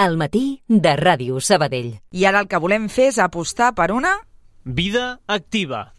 al matí de Ràdio Sabadell. I ara el que volem fer és apostar per una... vida activa.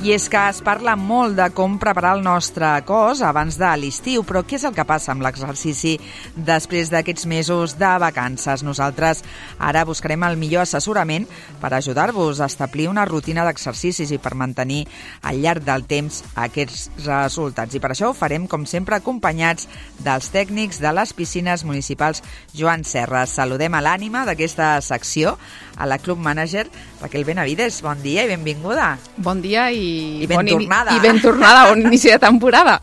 I és que es parla molt de com preparar el nostre cos abans de l'estiu, però què és el que passa amb l'exercici després d'aquests mesos de vacances? Nosaltres ara buscarem el millor assessorament per ajudar-vos a establir una rutina d'exercicis i per mantenir al llarg del temps aquests resultats. I per això ho farem, com sempre, acompanyats dels tècnics de les piscines municipals Joan Serra. Saludem a l'ànima d'aquesta secció, a la Club Manager, Raquel Benavides. Bon dia i benvinguda. Bon dia i ben tornada. I ben tornada, bon inici de temporada.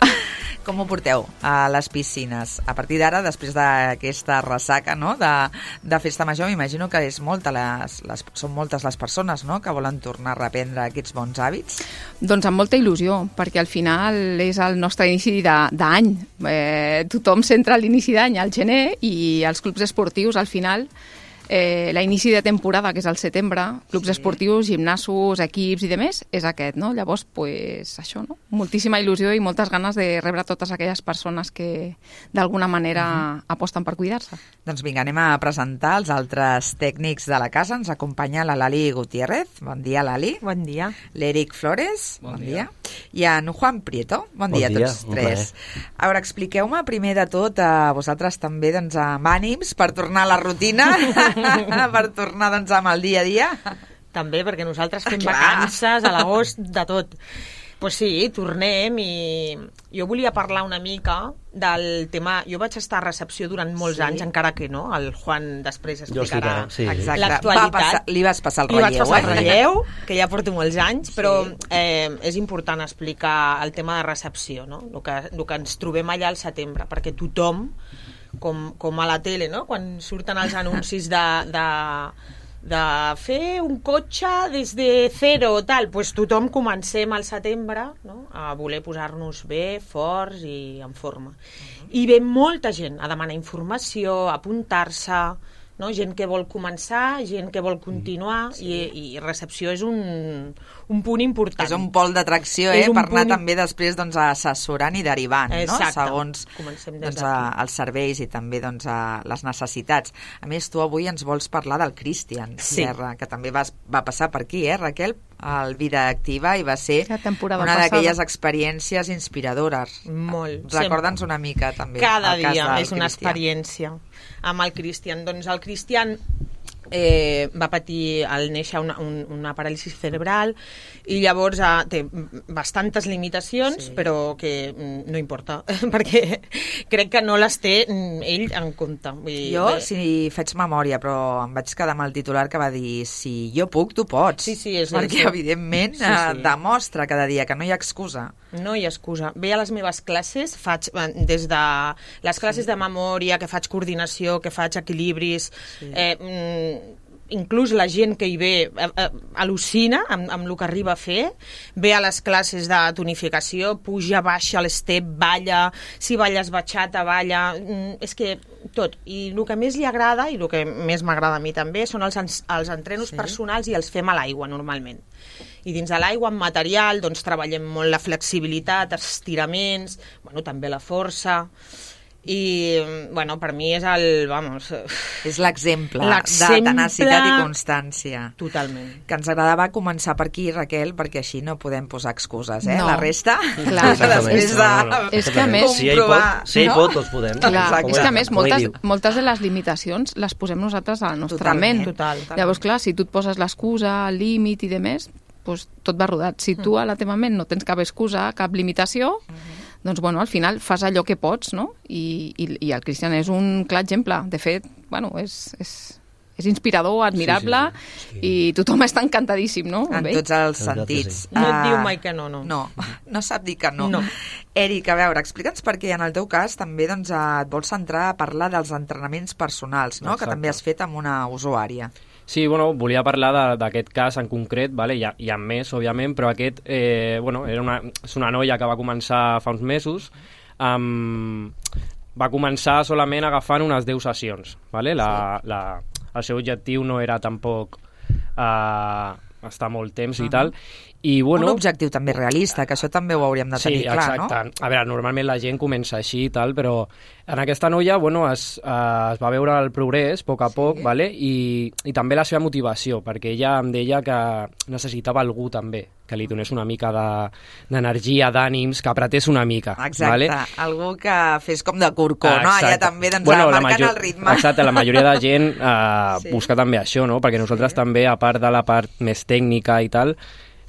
Com ho porteu a les piscines? A partir d'ara, després d'aquesta ressaca, no?, de festa major, m'imagino que és són moltes les persones, no?, que volen tornar a reprendre aquests bons hàbits. Doncs amb molta il·lusió, perquè al final és el nostre inici d'any. Tothom centra l'inici d'any al gener i els clubs esportius al final... l'inici de temporada, que és al setembre, clubs esportius, gimnasos, equips i demés, és aquest, no? Llavors, pues, això, no? Moltíssima il·lusió i moltes ganes de rebre totes aquelles persones que d'alguna manera aposten per cuidar-se. Doncs vinga, anem a presentar els altres tècnics de la casa. Ens acompanya la Lali Gutiérrez. Bon dia, Lali. Bon dia. L'Eric Flores. Bon dia. I en Juan Prieto. Bon dia a tots tres. A veure, expliqueu-me primer de tot a vosaltres també, doncs, amb ànims per tornar a la rutina, per tornar, doncs, amb el dia a dia. També, perquè nosaltres fem vacances a l'agost de tot. Pues sí, tornem i jo volia parlar una mica del tema... Jo vaig estar a recepció durant molts anys, encara que no, el Juan després explicarà l'actualitat. Li vas passar el relleu. Li vaig passar el relleu, que ja porto molts anys, però és important explicar el tema de recepció, no? El que ens trobem allà al setembre, perquè tothom, com a la tele, no?, quan surten els anuncis de fer un cotxe des de zero, tal, pues tothom comencem al setembre, no?, a voler posar-nos bé, forts i en forma. I ve molta gent a demanar informació, a apuntar-se, no? Gent que vol començar, gent que vol continuar, i recepció és un punt important. És un pol d'atracció, per anar també després, doncs, assessorant i derivant, no?, segons doncs, els serveis i també, doncs, les necessitats. A més, tu avui ens vols parlar del Cristian Serra, que també va passar per aquí, Raquel, al Vida Activa, i va ser una d'aquelles experiències inspiradores. Molt. Recorda'ns una mica també. Cada dia és una experiència amb el Cristian. Doncs el Cristian va patir al néixer una paràlisi cerebral i llavors té bastantes limitacions, però que no importa, perquè crec que no les té ell en compte. Jo, si faig memòria, però em vaig quedar amb el titular que va dir: si jo puc, tu pots. Sí, perquè evidentment demostra cada dia que no hi ha excusa. No hi ha excusa. Ve a les meves classes, faig des de les classes de memòria, que faig coordinació, que faig equilibris, inclús la gent que hi ve al·lucina amb el que arriba a fer, ve a les classes de tonificació, puja, baixa l'estep, balla, si balles bachata, balla, és que tot. I el que més li agrada, i el que més m'agrada a mi també, són els entrenos personals, i els fem a l'aigua normalment. I dins de l'aigua, amb material, doncs treballem molt la flexibilitat, estiraments, també la força... I, per mi és és l'exemple de tenacitat i constància. Totalment. Que ens agradava començar per aquí, Raquel, perquè així no podem posar excuses, La resta, després és que a més... Si ell pot, tots podem. És que a més, moltes de les limitacions les posem nosaltres a la nostra ment. Llavors, clar, si tu et poses l'excusa, el límit i demés, doncs tot va rodat. Si tu a la teva ment no tens cap excusa, cap limitació, doncs, al final fas allò que pots, no? I el Cristian és un clar exemple. De fet, és inspirador, admirable, i tothom està encantadíssim, no? En tots els sentits. No et diu mai que no. No sap dir que no. Eric, a veure, explica'ns perquè en el teu cas també et vols centrar a parlar dels entrenaments personals, no? Que també has fet amb una usuària. Sí, volia parlar d'aquest cas en concret, hi ha més, òbviament, però aquest és una noia que va començar fa uns mesos, va començar solament agafant unes 10 sessions. El seu objectiu no era tampoc estar molt temps i tal, I, bueno, un objectiu també realista, que això també ho hauríem de tenir clar, no? Sí, exacte. A veure, normalment la gent comença així i tal, però en aquesta noia, bueno, es va veure el progrés a poc, vale? I també la seva motivació, perquè ella em deia que necessitava algú també, que li donés una mica d'energia, d'ànims, que apretés una mica. Exacte, vale? Algú que fes com de corcó, no? Allà també marcant el ritme. Exacte, la majoria de gent busca també això, no? Perquè nosaltres també, a part de la part més tècnica i tal,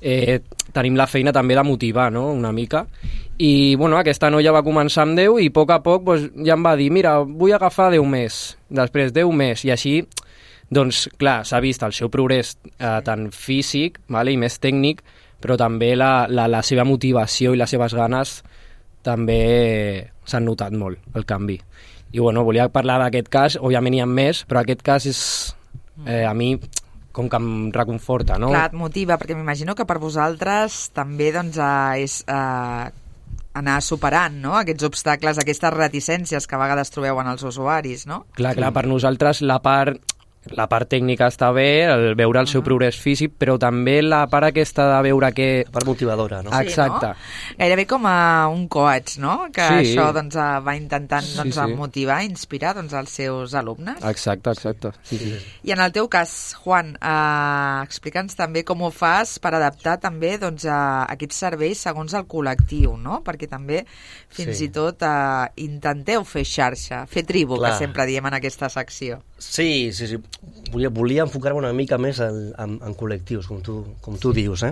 tenim la feina també de motivar, no?, una mica. I, bueno, aquesta noia va començar amb 10 i a poc doncs, ja em va dir, mira, vull agafar 10 més, després 10 més, i així, doncs, clar, s'ha vist el seu progrés tant físic, vale, i més tècnic, però també la seva motivació i les seves ganes també s'han notat molt, el canvi. I, bueno, volia parlar d'aquest cas, òbviament hi ha més, però aquest cas és, a mi, com que em reconforta, no? Clar, et motiva, perquè m'imagino que per vosaltres també doncs, és anar superant, no?, aquests obstacles, aquestes reticències que a vegades trobeu en els usuaris, no? Clar, per nosaltres la part tècnica està bé, veure el seu progrés físic, però també la part aquesta de veure que... La part motivadora, no? Exacte. Sí, no? Gairebé com un coach, no?, que sí. Això doncs, va intentant doncs, motivar, inspirar doncs, els seus alumnes. Exacte. Sí. I en el teu cas, Juan, explica'ns també com ho fas per adaptar també doncs, aquests serveis segons el col·lectiu, no?, perquè també fins i tot intenteu fer xarxa, fer tribu, que sempre diem en aquesta secció. Sí. Volia enfocar-me una mica més en col·lectius, com tu dius,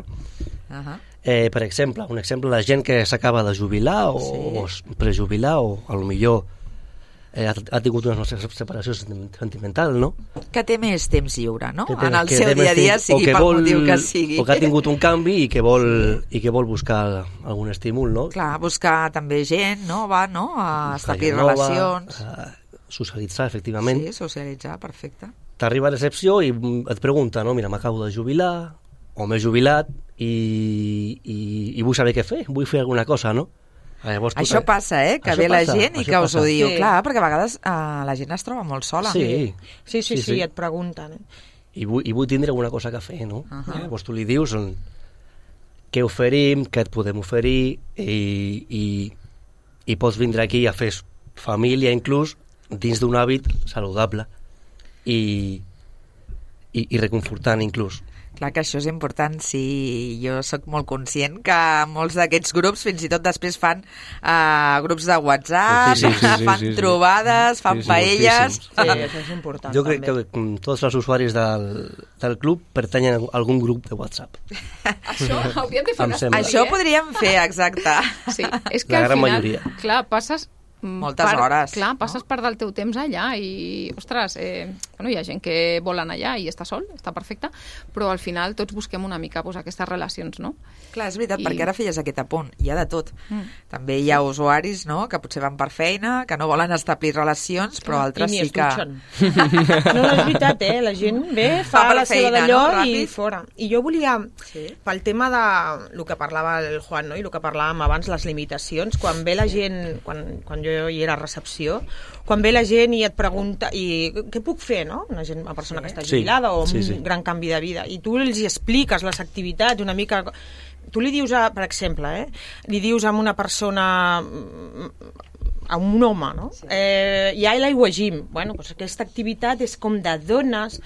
per exemple, la gent que s'acaba de jubilar o prejubilar o potser ha tingut una separació sentimental, no? Que té més temps lliure, no? En el seu dia a dia, sigui pel motiu que sigui. O que ha tingut un canvi i que vol buscar algun estímul, no? Clar, buscar també gent nova, no? A establir relacions. Socialitzar, efectivament. Sí, socialitzar, perfecte. T'arriba a recepció i et pregunta, no? Mira, m'acabo de jubilar o m'he jubilat i vull saber què fer, vull fer alguna cosa, no? Llavors, això passa, que ve la gent i que us ho diu. Clar, perquè a vegades la gent es troba molt sola. Sí, et pregunten. I vull tindre alguna cosa que fer, no? Llavors tu li dius què oferim, què et podem oferir i pots vindre aquí a fer família inclús dins d'un hàbit saludable i reconfortant inclús. Clar que això és important, sí, jo sóc molt conscient que molts d'aquests grups fins i tot després fan grups de WhatsApp, fan trobades, fan paelles... Sí, això és important. Jo crec que tots els usuaris del club pertanyen a algun grup de WhatsApp. Això hauríem de fer una estudi, Això podríem fer, exacte. Sí, és que al final, clar, passes... moltes hores. Clar, passes part del teu temps allà i, ostres, hi ha gent que vol anar allà i està sol, està perfecte, però al final tots busquem una mica aquestes relacions, no? Clar, és veritat, perquè ara feies aquest apunt, hi ha de tot. També hi ha usuaris, no?, que potser van per feina, que no volen establir relacions, però altres sí que... No, és veritat, la gent ve, fa la seva d'allò i fora. I jo volia, pel tema de el que parlava el Juan, no?, i el que parlàvem abans, les limitacions, quan ve la gent, quan jo hi era a recepció, quan ve la gent i et pregunta què puc fer, no? Una persona que està jubilada o un gran canvi de vida, i tu els hi expliques les activitats una mica... Tu li dius, per exemple, li dius a una persona, a un home, no? Hi ha l'aigua gym. Bueno, doncs aquesta activitat és com de dones,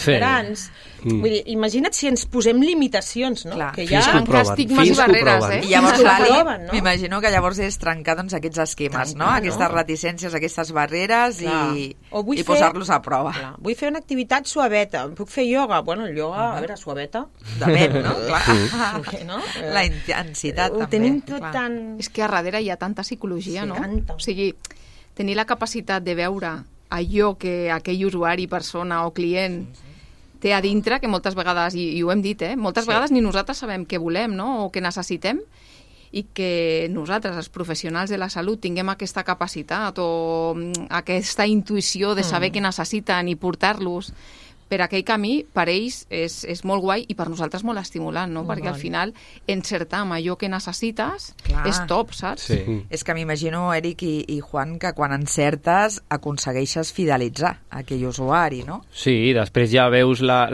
grans. Vull dir, imagina't si ens posem limitacions, no? Clar. Que hi ha estigmes i barreres, I llavors, Lali, m'imagino que llavors és trencar doncs, aquests esquemes, no? Aquestes reticències, aquestes barreres i posar-los a prova. Vull fer una activitat suaveta. Puc fer ioga? Bueno, el ioga, a veure, suaveta. Depèn, no? Clar. La intensitat, també. Ho tenim tot tan... És que a darrere hi ha tanta psicologia, no? Tanta. O sigui, tenir la capacitat de veure allò que aquell usuari, persona o client té a dintre, que moltes vegades, i ho hem dit, moltes vegades ni nosaltres sabem què volem, no?, o què necessitem, i que nosaltres, els professionals de la salut, tinguem aquesta capacitat o aquesta intuïció de saber què necessiten i portar-los per aquell camí, per ells és molt guai i per nosaltres molt estimulant, no? Perquè al final encertar amb allò que necessites és top, saps? Sí. És que m'imagino, Eric i Juan, que quan encertes aconsegueixes fidelitzar aquell usuari, no? Sí, després ja veus la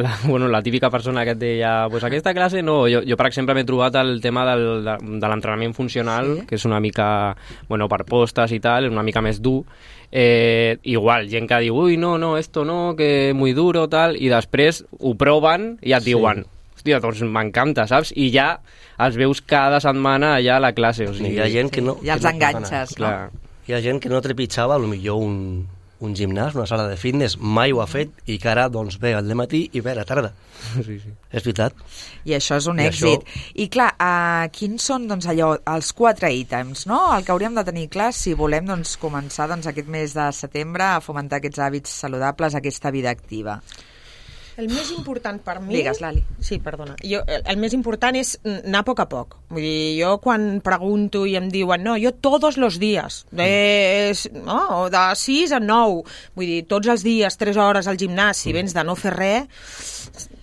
típica persona que et deia pues aquesta classe no. Jo per exemple, m'he trobat el tema de l'entrenament funcional, que és una mica, per postes i tal, una mica més dur. Igual, gent que diu ui, no, esto no, que muy duro, tal, i després ho proven i et diuen hòstia, doncs m'encanta, saps? I ja els veus cada setmana allà a la classe. O sigui, hi ha gent que no... Ja els enganxes, no? Hi ha gent que no trepitjava, potser un gimnàs, una sala de fitness, mai ho ha fet i que ara doncs, ve al dematí i ve a la tarda. Sí. És veritat. I això és un èxit. I clar, quins són doncs, els 4 ítems, no? El que hauríem de tenir clar si volem doncs, començar aquest mes de setembre a fomentar aquests hàbits saludables, aquesta vida activa. El més important per mi... Digues, Lali. Sí, perdona. El més important és anar a poc a poc. Vull dir, jo quan pregunto i em diuen no, jo tots els dies, de 6 a 9, vull dir, tots els dies, 3 hores al gimnàs, si vens de no fer res,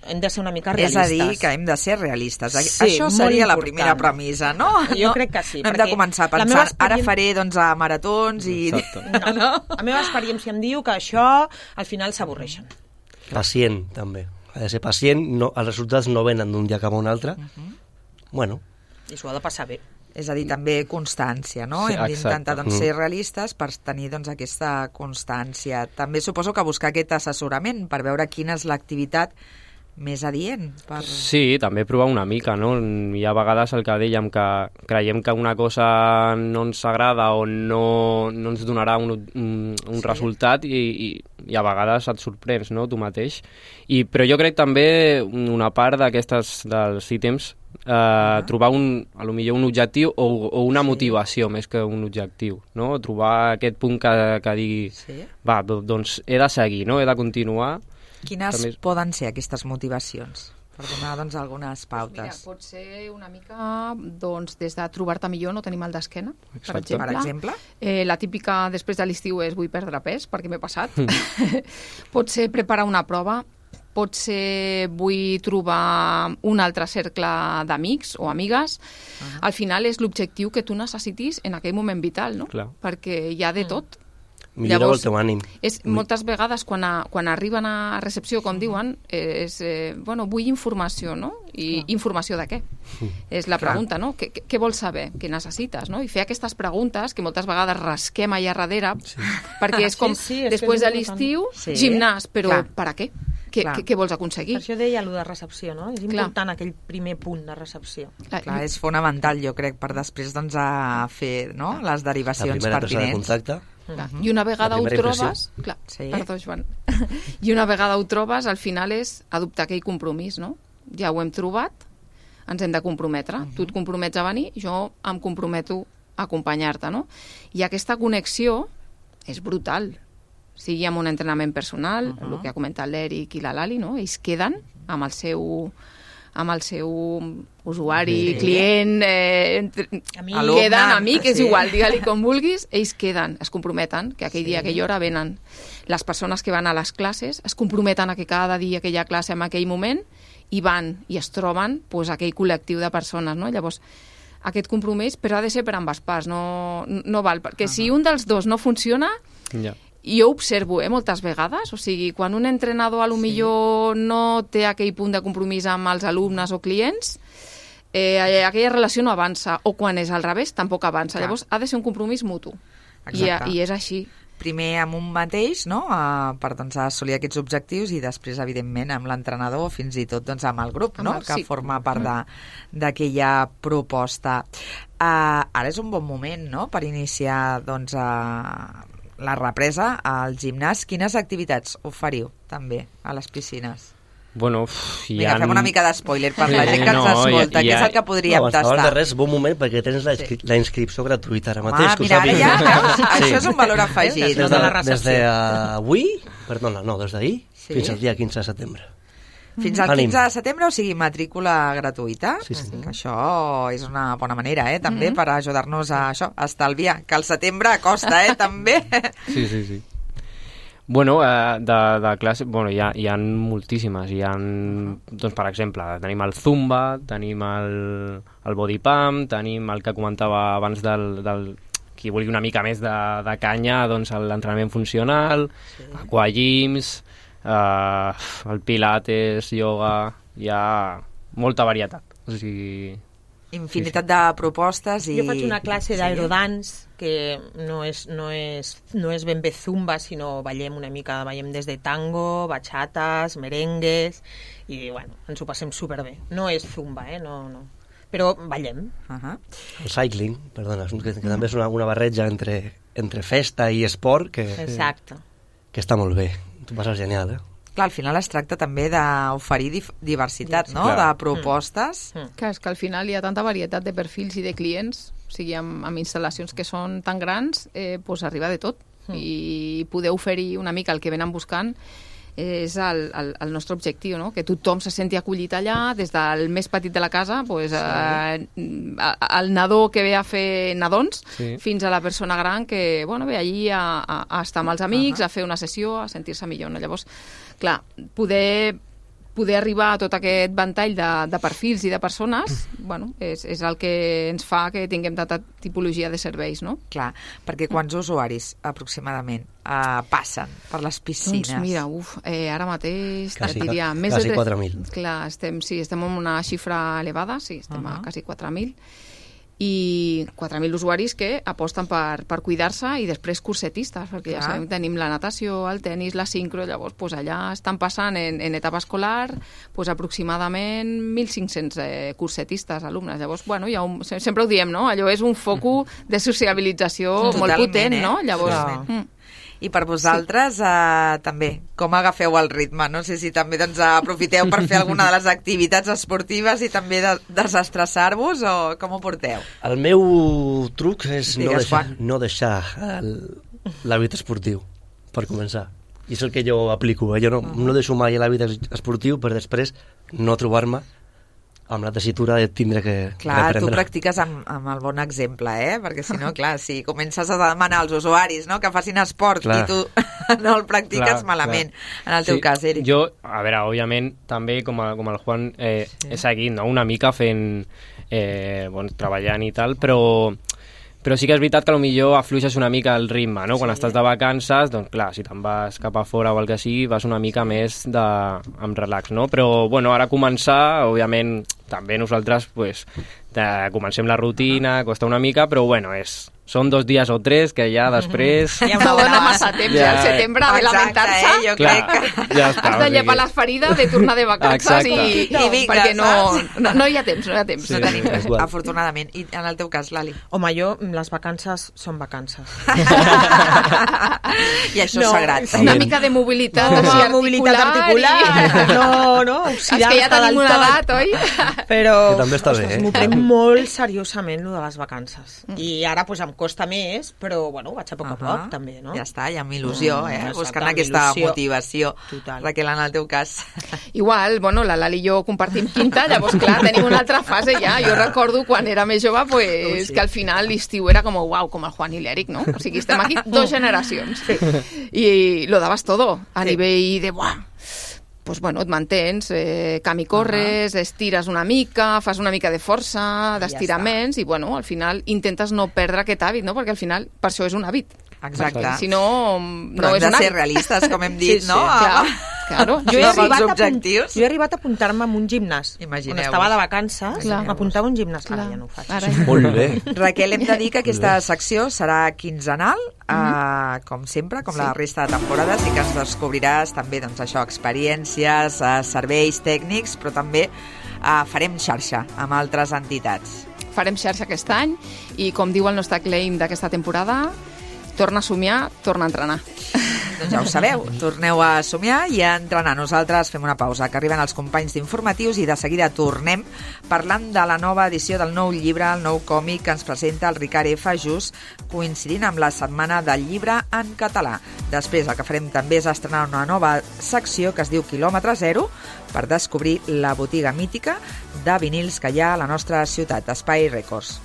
hem de ser una mica realistes. És a dir, que hem de ser realistes. Sí, això seria la primera premissa, no? Jo crec que sí. No hem de començar pensant, ara faré a maratons i... No. La meva experiència em diu que això al final s'avorreixen. Pacient, també. Ha de ser pacient, els resultats no venen d'un dia cap a un altre. I s'ho ha de passar bé. És a dir, també constància, no? Hem d'intentar ser realistes per tenir aquesta constància. També suposo que buscar aquest assessorament per veure quina és l'activitat més adient. Sí, també provar una mica, no? Hi ha vegades el que dèiem, que creiem que una cosa no ens agrada o no ens donarà un resultat i a vegades et sorprens, no?, tu mateix. Però jo crec també una part dels ítems, trobar potser un objectiu o una motivació més que un objectiu, no? Trobar aquest punt que digui va, doncs he de seguir, no? He de continuar. Quines poden ser aquestes motivacions? Per donar algunes pautes. Mira, pot ser una mica des de trobar-te millor, no tenir mal d'esquena, per exemple. La típica després de l'estiu és vull perdre pes, perquè m'he passat. Pot ser preparar una prova, pot ser vull trobar un altre cercle d'amics o amigues. Al final és l'objectiu que tu necessitis en aquell moment vital, no? Perquè hi ha de tot. Milloreu el teu ànim. Moltes vegades, quan arriben a recepció, com diuen, vull informació, no? I informació de què? És la pregunta, no? Què vols saber? Què necessites, no? I fer aquestes preguntes, que moltes vegades rasquem allà darrere, perquè és com, després de l'estiu, gimnàs, però per a què? Què vols aconseguir? Per això deia allò de recepció, no? És important aquell primer punt de recepció. Clar, és fonamental, jo crec, per després a fer les derivacions pertinents. La primera presa de contacte. I una vegada ho trobes... Perdó, Joan. I una vegada ho trobes, al final és adoptar aquell compromís, no? Ja ho hem trobat, ens hem de comprometre. Tu et compromets a venir, jo em comprometo a acompanyar-te, no? I aquesta connexió és brutal. Sigui amb un entrenament personal, el que ha comentat l'Eric i la Lali, no? Ells queden amb el seu usuari, client, queden amic, és igual, digue-li com vulguis, ells queden, es comprometen que aquell dia, aquella hora venen. Les persones que van a les classes es comprometen a que cada dia aquella classe en aquell moment i van i es troben aquell col·lectiu de persones, no? Llavors, aquest compromís, però ha de ser per ambes parts, no val, perquè si un dels dos no funciona... Jo observo moltes vegades, o sigui, quan un entrenador a lo millor no té aquell punt de compromís amb els alumnes o clients, aquella relació no avança, o quan és al revés, tampoc avança. Llavors, ha de ser un compromís mutu. I és així. Primer amb un mateix, no?, per assolir aquests objectius i després, evidentment, amb l'entrenador o fins i tot amb el grup, no?, que forma part d'aquella proposta. Ara és un bon moment, no?, per iniciar, la represa al gimnàs. Quines activitats oferiu també a les piscines? Vinga, fem una mica d'espoiler per la gent que ens escolta, què és el que podríem tastar? Abans de res, bon moment, perquè tens la inscripció gratuïta ara mateix. Mira, ara ja, això és un valor afegit. Des d'avui, des d'ahir, fins al dia 15 de setembre. Fins al 15 de setembre, o sigui, matrícula gratuïta. Això és una bona manera, també, per ajudar-nos a estalviar, que el setembre costa, també. Sí. Bueno, de classe, bueno, hi ha moltíssimes. Hi ha, doncs, per exemple, tenim el Zumba, tenim el Body Pump, tenim el que comentava abans del qui vulgui una mica més de canya, doncs l'entrenament funcional, aquagyms, el pilates, yoga, hi ha molta varietat. O sigui... Infinitat de propostes i... Jo faig una classe d'aerodance que no és ben bé zumba, sinó ballem una mica, ballem des de tango, bachates, merengues, i bueno, ens ho passem superbé. No és zumba, no. Però ballem. El cycling, perdona, que també és una barreja entre festa i esport que està molt bé. Tu passes genial, Clar, al final es tracta també d'oferir diversitat, no?, de propostes. Clar, és que al final hi ha tanta varietat de perfils i de clients, o sigui, amb instal·lacions que són tan grans, doncs arriba de tot. I poder oferir una mica el que venen buscant és el nostre objectiu, no? Que tothom se senti acollit allà, des del més petit de la casa, pues, el nadó que ve a fer nadons, fins a la persona gran que ve allí a estar amb els amics, a fer una sessió, a sentir-se millor. No? Llavors, clar, poder arribar a tot aquest ventall de perfils i de persones, és el que ens fa que tinguem tanta tipologia de serveis, no? Clar, perquè quants usuaris aproximadament passen per les piscines? Doncs mira, ara mateix diria més quasi 4.000. Clar, estem en una xifra elevada, estem a quasi 4.000. I 4.000 usuaris que aposten per cuidar-se i després cursetistes, perquè ja sabem que tenim la natació, el tennis, la sincro, llavors allà estan passant en etapa escolar aproximadament 1.500 cursetistes, alumnes. Llavors, sempre ho diem, no? Allò és un focus de sociabilització molt potent, no? Llavors... I per vosaltres, també, com agafeu el ritme? No sé si també aprofiteu per fer alguna de les activitats esportives i també desestressar-vos, o com ho porteu? El meu truc és no deixar l'hàbit esportiu, per començar. I és el que jo aplico. Jo no deixo mai l'hàbit esportiu per després no trobar-me amb la tessitura de tindre que Clar, reprendre. Tu practiques amb el bon exemple, perquè si no, clar, si comences a demanar als usuaris que facin esport i tu no el practiques malament, en el teu cas, Eric. Jo, a veure, òbviament, també com el Juan he seguit una mica fent, treballant i tal, però sí que és veritat que potser afluixes una mica el ritme, no? Quan estàs de vacances, doncs clar, si te'n vas cap a fora o el que sigui, vas una mica més amb relax, no? Però, ara començar, òbviament, també nosaltres, comencem la rutina, costa una mica, però, són 2 dies o 3 que ja després... Ja no dona massa temps, al setembre, de lamentar-se. Jo crec que... Has de llepar les ferides, de tornar de vacances i perquè no hi ha temps, no tenim res, afortunadament. I en el teu cas, Lali? Home, les vacances són vacances. I això és sagrat. Una mica de mobilitat articular. No, és que ja tenim una edat, oi? Però també està bé, m'ho prenc molt seriosament, de les vacances. I ara, em costa més, però, vaig a poc a poc, també, no? Ja està, i amb il·lusió, buscant aquesta motivació. Total. Raquel, en el teu cas. Igual, la Lali i jo compartim quinta, llavors, clar, tenim una altra fase ja. Jo recordo quan era més jove, que al final l'estiu era com el Juan i l'Eric, no? O sigui, estem aquí 2 generacions. I lo dabas todo, a nivell de, et mantens, camí corres, estires una mica, fas una mica de força, d'estiraments, i al final intentes no perdre aquest hàbit, no? Perquè al final per això és un hàbit. Exacte. Perquè, si no, però hem de ser realistes, com hem dit, no? Claro. Jo he arribat a apuntar-me en un gimnàs. Imagineu-vos. Quan estava de vacances, m'apuntava a un gimnàs. Ara ja no ho faig. Molt bé. Raquel, hem de dir que aquesta secció serà quinzenal, com sempre, com la resta de temporades, i que ens descobriràs també, experiències, serveis tècnics, però també farem xarxa amb altres entitats. Farem xarxa aquest any i, com diu el nostre claim d'aquesta temporada, torna a somiar, torna a entrenar. Doncs ja ho sabeu, torneu a somiar i a entrenar. Nosaltres fem una pausa, que arriben els companys d'informatius, i de seguida tornem parlant de la nova edició del nou llibre, el nou còmic que ens presenta el Ricard F. just coincidint amb la Setmana del Llibre en Català. Després el que farem també és estrenar una nova secció que es diu Quilòmetre Zero, per descobrir la botiga mítica de vinils que hi ha a la nostra ciutat, Espai Records.